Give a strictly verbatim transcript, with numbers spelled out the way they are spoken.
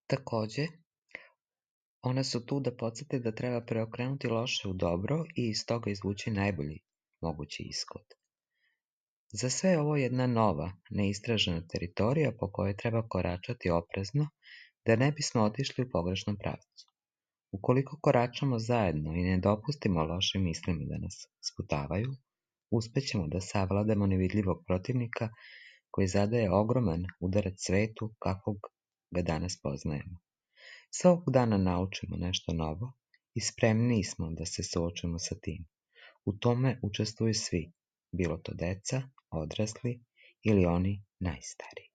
Takođe, one su tu da podsete da treba preokrenuti loše u dobro i iz toga izvući najbolji mogući ishod. Za sve je ovo jedna nova, neistražena teritorija po kojoj treba koračati oprezno da ne bismo otišli u pogrešnom pravcu. Ukoliko koračamo zajedno i ne dopustimo lošim mislima da nas sputavaju, uspećemo da savladamo nevidljivog protivnika koji zadaje ogroman udarac svetu kakvog ga danas poznajemo. Svakog dana naučimo nešto novo i spremniji smo da se suočimo sa tim. U tome učestvuju svi, bilo to deca, odrasli ili oni najstariji.